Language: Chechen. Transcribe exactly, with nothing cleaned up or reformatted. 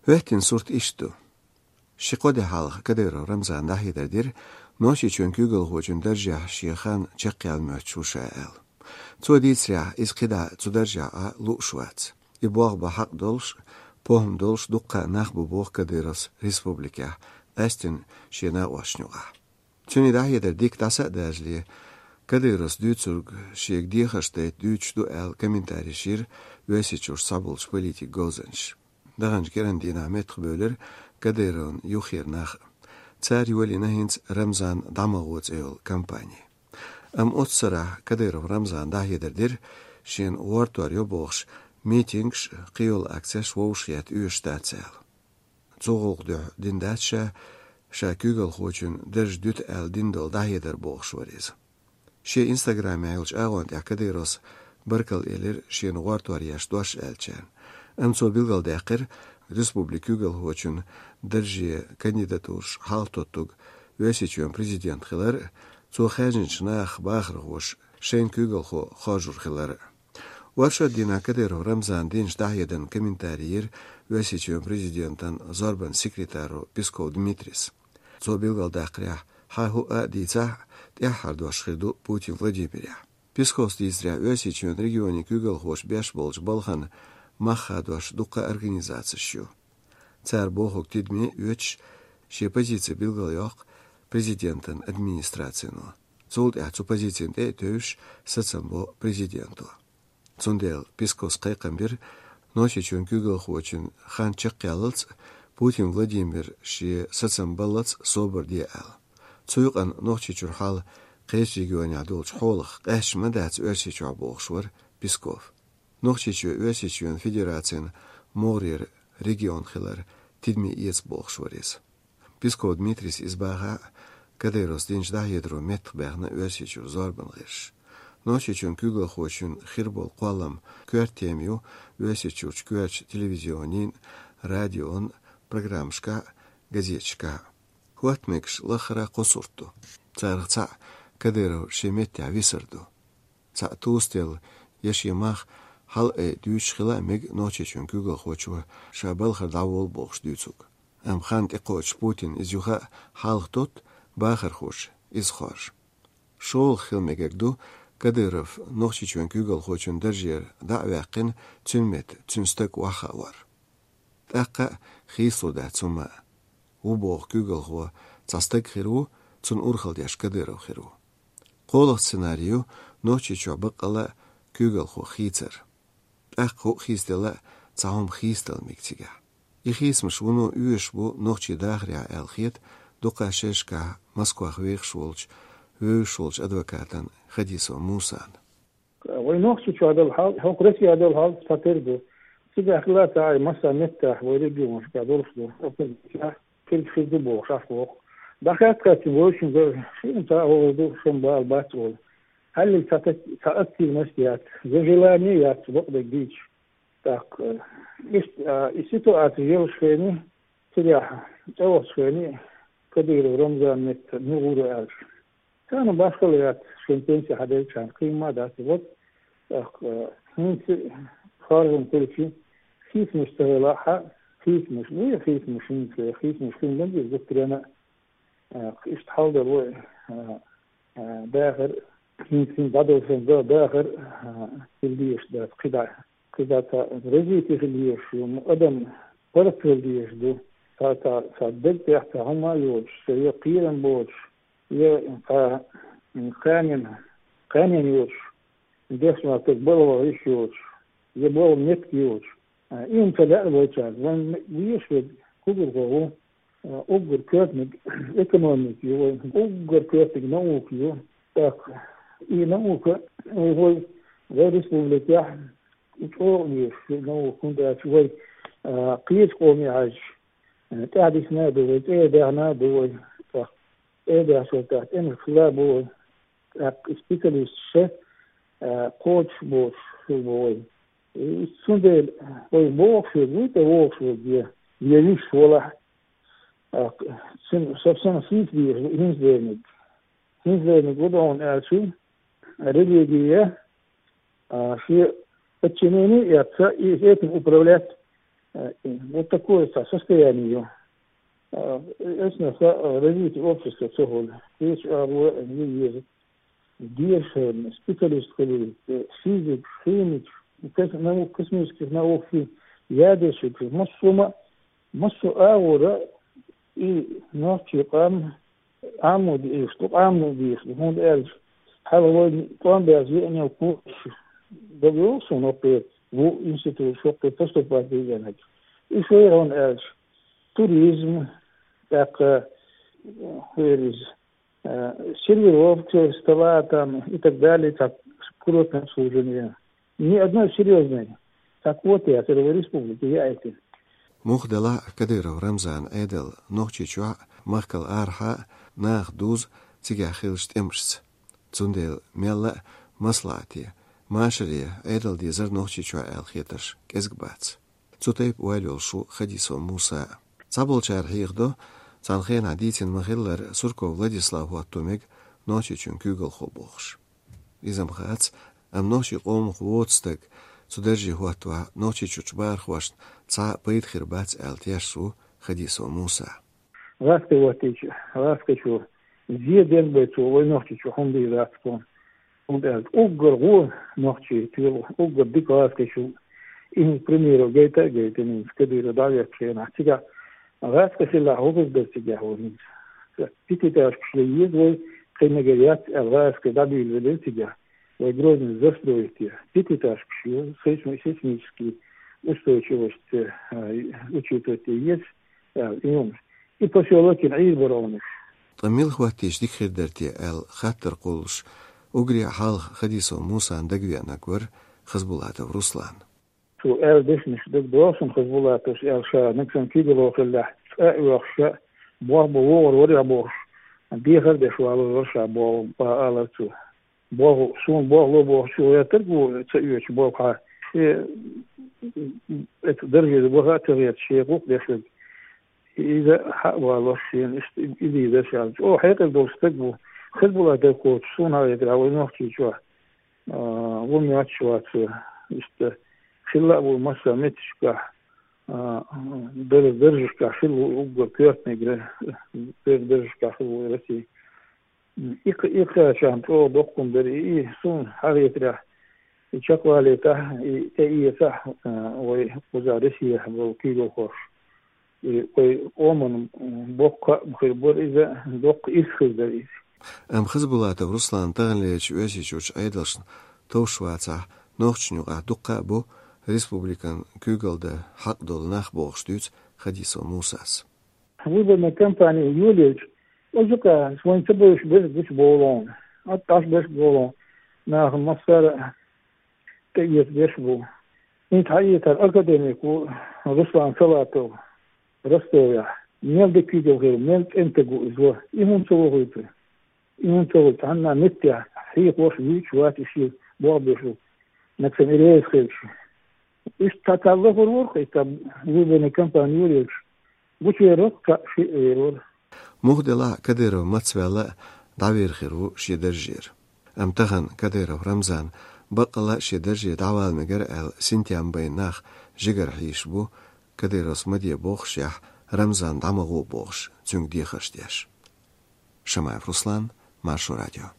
Оьттина сурт иштта ду. Ши-кхо ди хьалха Кадыров Рамзана дӀахьедар дира, Нохчийчоьнан куьйгалхочун даржехь шен хан чекхъяла моьттуш ву ша аьлла. Цо дийцарехь, иза кхидӀа цу даржехь Ӏа лууш вац. И болх бан хьакъ долуш, похӀма долуш дуккха а нах бу, боху Кадыровс республикехь, къаьсттина шен накъосташна юкъахь. Цуьнан дӀахьедар дика дӀаса а дажале, Кадыровс дуьйцург шега дехарш дайта дуьйцуш ду аьлла комментарийш йира Оьрсийчуьрчу цхьаболчу политикан говзанчаша. Даханчу кӀиран дийнахь меттахбевлира Кадыровн юххера нах а. Цара йолийна хӀинца «Рамзан дӀа ма гӀо» цӀе йолу кампани. Амма оццу сарахь Кадыров Рамзана дӀахьедар дира, шена гӀортор йо бохуш, митингаш а, кхийолу акцеш а вовшахъетта оьшуш дац аьлла. Цу гӀуллакх дуьхьа дина дац ша, ша куьйгалхочун дарж дуьту аьлла дина долу дӀахьедар, бохуш вара иза. Шен инстаграмехь йолчу агӀон тӀехь Кадыровс баркалла элира шена гӀортор еш дош аьллачарна. Амма цо билгалдаьккхира, республикан куьйгалхочун дарже кандидатураш хьалхатоттург Оьрсийчоьнан президент хилар а, цо хаьржинчу нахах бахархоша шайна куьйгалхо хоржур хилар а. Оршот дийнахь Кадыров Рамзана динчу дӀахьедарна комментарий йира Оьрсийчоьнан президентан зорбанан секретаро Песков Дмитрийс. Цо билгалдаккхарехь, хьан хӀуъа а дийцахь, тӀаьххьара дош хир ду Путин Владимирехь. Песковс дийцарехь, Оьрсийчоьнан регионийн куьйгалхоша беш болчу балхана мах хадош дуккха а организацеш ю. Цара бохург тидаме а оьцуш, шен позици билгалйоккху президентан администрацино. Цул тӀаьхьа цу позицина тӀе а тевжаш, сацам бо президенто. Цундела Песковс кхайкхам бира, Нохчийчоьнан куьйгалхочун хан чекхъяллалц а, Путин Владимир шен сацам баллалц а собар де аьлла. Цу юкъана Нохчийчуьра хьал кхечу регионехь долчу хьолах къаьсташ ма дац Оьрсийчохь, бохуш вара Песков. Нохчийчоь Оьрсийчоьнан Федерацин могӀарера регион хилар тидаме эца, бохуш вара иза. Песков Дмитрийс иза бахахь а, Кадыровс динчу дӀахьедаро меттахбаьхна Оьрсийчуьра зорбанан гӀирсаша. Нохчийчоьнан куьйгалхочун хир болу кхоллам коьрта тема ю Оьрсийчуьрчу коьртачу телевизионийн, радион программашкахь а, газеташкахь а. ХӀотта мегаш лаххара кхо сурт ду. Царах цхьаъ Кадыров шен меттехь висар ду. Цхьаъ тосаделла я шен мах хьалаайа дуьйцуш хила а мега Нохчийчоьнан куьйгалхочо ша балхара дӀаволла бохуш дуьйцург. Амма хан тӀекхочуш Путина иза юха а хьалхатотту, бахархоша иза хоржу. ШолгӀа хила мегар ду Кадыров Нохчийчоьнан куьйгалхочун даржера дӀа а ваьккхина, цуьнан метта цуьнан стаг охьахаар. ТӀаккха а хийцалур дац хӀумма а. Ву боху куьйгалхо цхьа стаг хир ву, цунна урхалла деш Кадыров хир ву. КхоалгӀа сценарий ю Нохчийчохь баккъалла а куьйгалхо хийцар. ТӀаккха хӀуъа хийцаделла а цхьа хӀума хийцадала мега цигахь. И хийцамаш вуно оьшуш бу нохчийн дахарехь аьлла хета дукха шерашкахь Москвахь вехаш волчу, вевзаш волчу адвокатана Хадисов Мусана. Вай Нохчийчохь долу хьал, хӀокху Россехь долу хьал цхьатерра ду. Цигахь хилла ца Ӏай, массо а меттехь вай регионашкахь долуш ду. Оппозиция хилча хир ду бохуш ахь вокху. ДӀахаьттахь вайшинна га шина ца а вогӀур ду, шун бала бац олу. Хьаллиг цхьа тат-, цхьа активность яц, я желание яц бакъдерг дийцуш. ТӀаккха, э, иштта, а, и ситуация елаш хени, цигахь цӀа вахча хени, Кадыров Рамзан метта мугӀура аьлча. Царна башхалла яц, шен пенси хьаделчарна кхин ма дац, вот, тӀаккха, э, хӀинца харжам хилчи, хийцамаш ца хилахь, хийцамаш, вуй хийцамаш хӀинца, хийцамаш хин бан деза гуттарена, э, иштта хьал дара вай, э, э, дахар, хӀинца хӀинца дӀадолу сан да-, дахар, э, хила дезаш дац, кхидӀа, кхидӀа ца развитие хила дезаш ю, адам паргӀат хила дезаш ду, ца, ца, ца даг тӀехь ца хӀума а йоцуш, ца я кхерам боцуш, я кха-, кханен, кханен йоцуш, дешна стаг балха йиш йоцуш, я болу меттиг йоцуш. А, и хӀума ца лаьа вайчарна. Вайн везаш верг куьйгалхо ву, а, уггар коьртаниг экономика ю вайн, уггар коьртаниг наука ю. ТӀаккха и наука вай, вай республикехь и чӀогӀа везаш наука, хӀунда аьлча вай, а, кхечу къоме хьаьжча, а, тӀаьхьадисина а ду вай, цӀе а даьхна а ду вай, тӀаккха цӀе а даьхча, тӀаккха тӀемаш хилла а бу вай. ТӀаккха и специалисташ, а, кхочуш боцуш хир бу вай. И цундела вай бохуш верг вуй, тӀе вогӀуш верг я, я вуьйш валахь, тӀаккха цуьнан совсем хийца дезаш ду хӀинца дерниг. ХӀинца дерниг ву ду хьуна аьлча, религия, а, шен подчинение эцца, и этим управлять, Вот такое состояние. Эсна развитие общества цохол. Кеча агӀо еза. Деша специалист хилар, физикаш, химикаш, кос-, наук, космических науках ядерщикаш, массо а, массо а агӀора и нохчий къам Ӏамо дезаш ду, Ӏамо дезаш ду, хӀунда аьлча хьалха вайна тӀом баьрза веанал курсаш дагайовла суна хӀокху ву институташ хӀокху поступать дийзинарг. И шайра хӀунда аьлча туризм, тӀаккха, хӀара иза, э, сервировка стола там и так далее, так, курортное обслуживание. Ни одной серьёзной. Так вот, я целой республике, я эти. Муха делахь а Кадыров Рамзанан Ӏедал Нохчийчохь а, махкал арахьа а нах дузу цигахь хиллачу тӀемашца. Цундела мелла а маслаӀате, машаре Ӏедал дезара Нохчийчохь аьлла хетарш кӀезиг бац. Цу тайпа ойла йолуш ву Хадисов Муса а. Цхьаболчара хьехадо, цхьана хенахь дийцина ма-хиллара, Сурков Владислав хӀотто мега Нохчийчоьнан куьйгалхо бохуш. Иза-м хац, амма нохчийн къомах воцу стаг цу дарже хӀоттавахь, Нохчийчуьрчу бахархошна цхьа а пайда хир бац аьлла тешаш ву Хадисов Муса. ГӀаскхи хӀоттийча, гӀаскхичо зе ден бен цо вай Нохчийчохь хӀума дийр дац тхуна. ХӀунда аьлча уггар гӀо нохчий тоьлу, уггар дика гӀаскхичо. И хӀинца примеров гайта а гайтина хӀинца Кадыров дӀаваьллачу хенахь. Цигахь гӀаскхи хилахь хӀун хир дара цигахь вай хӀинца? Пятиэтажкаш ян еза вай, кхин мегар яц аьлла, гӀаскхи дӀабийлавелира цигахь. Вай Грозный застроить е. Пятиэтажкаш ю, сейсми-, сейсмический устойчивость, э, учитывать е еза, э, и хӀуманаш. И посёлок йина Ӏийр бара хӀуманаш. Ткъа мила хӀоттийча дика хир дара те аьлла хаттар кхуллуш, уггаре а хьалха Хадисов Мусан дагавеанарг вара Хазбулатов Руслан. Цо аьлла дешнаш дагадогӀу суна, Хазбулатовс аьлла, ша нагахь санна куьйгалхо хиллехь, цӀа а оьхуш, ша болх бан вогӀур вара бохуш, дехар а деш валур вара ша боху, боху алара цо. Болх, суна болх ло бохучо гӀертарг ву ца оьцуш болхахь, шен, эцу даржера ваха а ца гӀерташ, шен гӀуллакх деш верг. Иза хьа а валош шена, иштта и, и дийзар ша. ЧӀогӀа хьекъал долу стаг ву. Хазбулатов кхочуш суна хетарехь вай Нохчийчохь, а, ву моьттуш вац, иштта хилла а ву массо а меттигашкахь, а, дар-, даржашкахь хилла ву уггар коьртаниг, дар-, даржашкахь хилла ву Россия. И кх-, и кхачарна чӀогӀа доккха хӀума дара, и, и суна хьахетарехь, и чекхвалийтахь, и тӀеэцахь, а, вай кхузахь Россехь болу куьйгалхоша. И вай къоман боккха а хир бара иза, доккха ирс хир дара иза. Амма Хазбулатов Руслан таханлерчу Оьрсийчуьрчу Ӏедалшна товш вацахь, нохчашна юкъахь дуккха а бу республикан куьйгалла дан хьакъ долу нах бохуш дуьйцу Хадисов Мусас. Выборная кампания йолаелча, оцу юкъа вайна ца бевзаш берш гучубовлу хьуна. Оцу дӀасаберш бовлу хьуна. Нахана массара а тӀеэца берш бу. ХӀинца хьаэцара академик ву Руслан Салатов Ростовехь. Мел дика куьйгалла хир, мел цӀена стаг ву иза вара. И хӀунда ца вохуьйту? И хӀунда ца вохуьйту? Цхьанна меттехь хьехош вуьйцуш вац и шен болх беш ву. Нагахь санна и реза хилча. Иштта цхьа лахара вара-кх, и цхьа выборная кампания йолаелча. Гучувер вара-кх, кхаа шиъ вер вара. Муха делахь а Кадыров мацваьлла а дӀавер хир ву шен даржера. Амма тахана Кадыров Рамзан баккъалла а шен дарже дӀавала мегар аьлла, синтем байна нах жигара хьийзаш бу, Кадыровс ма де бохушехь, Рамзан дӀа ма гӀо бохуш, цуьнга дехарш деш. Шамаев Руслан, Маршо радио.